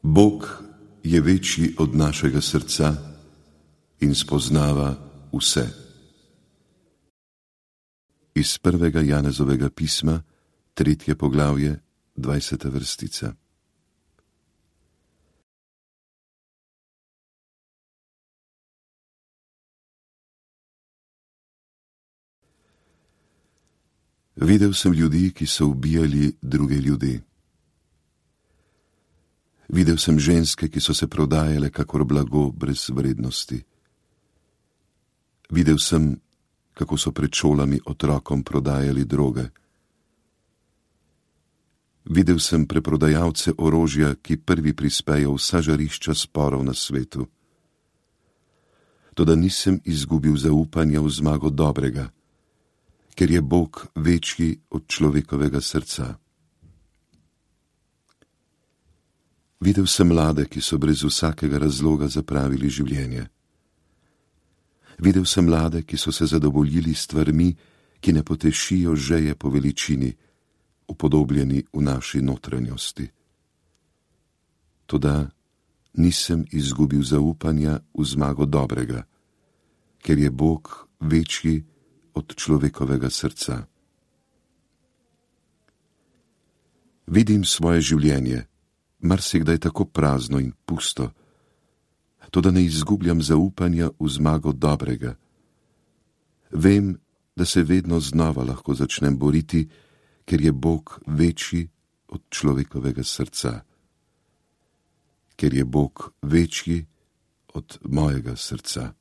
Bog je večji od našega srca in spoznava vse. Iz 1. Janezovega pisma, 3. poglavje, 20. vrstica. Videl sem ljudi, ki so ubijali druge ljudi. Videl sem ženske, ki so se prodajale kakor blago brez vrednosti. Videl sem, kako so pred šolami otrokom prodajali droge. Videl sem preprodajalce orožja, ki prvi prispejo vsa žarišča sporov na svetu. Toda nisem izgubil zaupanja v zmago dobrega, ker je Bog večji od človekovega srca. Videl sem mlade, ki so brez vsakega razloga zapravili življenje. Videl sem mlade, ki so se zadovoljili stvarmi, ki ne potešijo žeje po veličini, upodobljeni v naši notranjosti. Toda nisem izgubil zaupanja v zmago dobrega, ker je Bog večji od človekovega srca. Vidim svoje življenje, marsikdaj tako prazno in pusto, toda ne izgubljam zaupanja v zmago dobrega. Vem, da se vedno znova lahko začnem boriti, ker je Bog večji od človekovega srca. Ker je Bog večji od mojega srca.